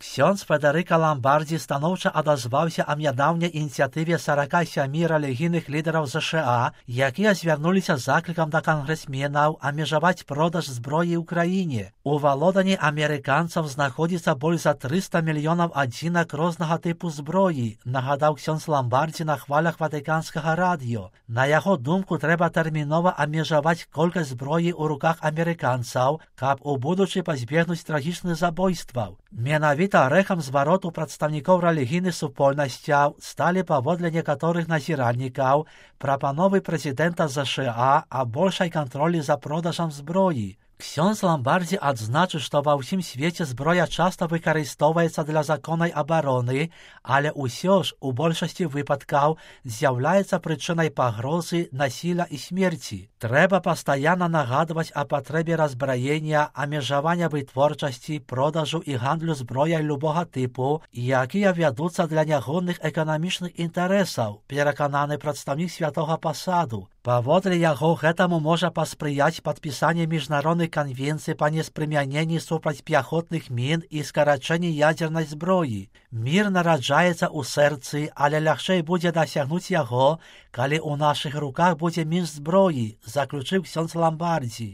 Ksiądz Федерико Ламбардзі станоўча адазваўся аб нядаўняй ініцыятыве 47 рэлігійных лідараў ЗША, якія звярнуліся з заклікам да кангрэсменаў абмежаваць продаж зброі ў краіне. У валоданні амерыканцаў знаходзіцца больш за 300 мільёнаў адзінак рознага тыпу зброі, нагадаў ксёндз Ламбардзі на хвалях ватыканскага радыё. На яго думку, трэба тэрмінова абмежаваць колькасць зброі ў руках амерыканцаў, каб у будучы пазбегнуць трагічных забойстваў. Менавіта рэхам звароту прадстаўнікоў рэлігійных супольнасцяў сталі паводле некаторых назіральнікаў прапановы прэзідэнта ЗША аб большай кантролі за продажам зброі. Ксёндз Ламбардзі адзначыў, што ва ўсім свеце зброя часта выкарыстоўваецца для законнай абароны, але ўсё ж у большасці выпадкаў з'яўляецца прычынай пагрозы, насілля і смерці. Трэба пастаянна нагадваць о патрэбе разбраення, абмежавання вытворчасці, продажу і гандлю зброяй любога тыпу, якія вядуцца для нягодных эканамічных інтарэсаў, перакананы прадстаўнік святога пасаду. Паводле яго, гэтаму можа паспрыяць падпісанне міжнародных канвенцый па неспрымяненні супраць пяхотных мін і скарачэнні ядзернай зброі. Мір нараджаецца ў сэрцы, але лягчэй будзе дасягнуць яго, калі ў нашых руках будзе менш зброі, заключыў ксёндз Ламбардзі.